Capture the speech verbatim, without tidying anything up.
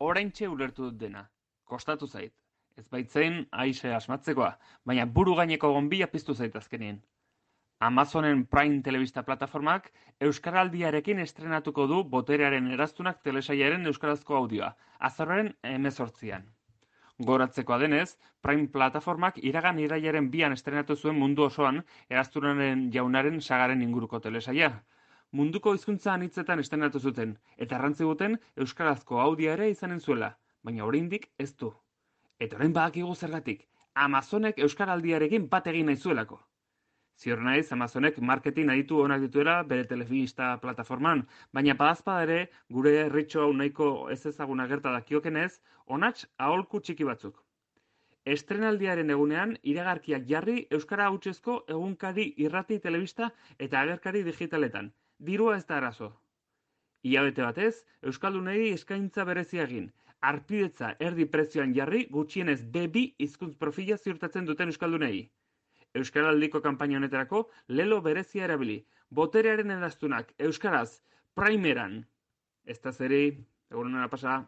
oraintxe ulertu dut dena. Kostatu zait. Ez baitzein aixe asmatzekoa, baina buru gaineko gonbila piztu zait azkenien. Amazonen Prime telebista plataformak Euskaraldiarekin estrenatuko du Boterearen eraztunak telesailaren euskarazko audioa, azaroaren hemezortzian. Goratzekoa denez, Prime plataformak iragan irailaren bian estrenatu zuen mundu osoan eraztunaren jaunaren sagaren inguruko telesaia. Munduko hizkuntza anitzetan estrenatu zuten, eta errantzi guten euskarazko audioa ere izanen zuela, baina oraindik ez du. Eta orain badakigu zergatik, Amazonek euskaraldiarekin bat egin nahi zuelako. Ziur naiz, Amazonek marketing aditu onak dituela bere telebista plataforman, baina badazpada ere, gure herritxo hau nahiko ez ezaguna gerta dakiokenez, onats aholku txiki batzuk. Estrenaldiaren egunean, iragarkiak jarri euskara hautsezko egunkari irrati telebista eta agerkari digitaletan. Dirua ez da arazo. Ilabete batez, euskaldunei eskaintza berezia egin. Arpidetza erdi prezioan jarri gutxienez be bi hizkuntz profila ziurtatzen duten euskaldunei. Euskaraldiko kanpaina honetarako lelo berezia erabili. Boterearen eraztunak euskaraz primeran. Ez da zeri, egunen pasa.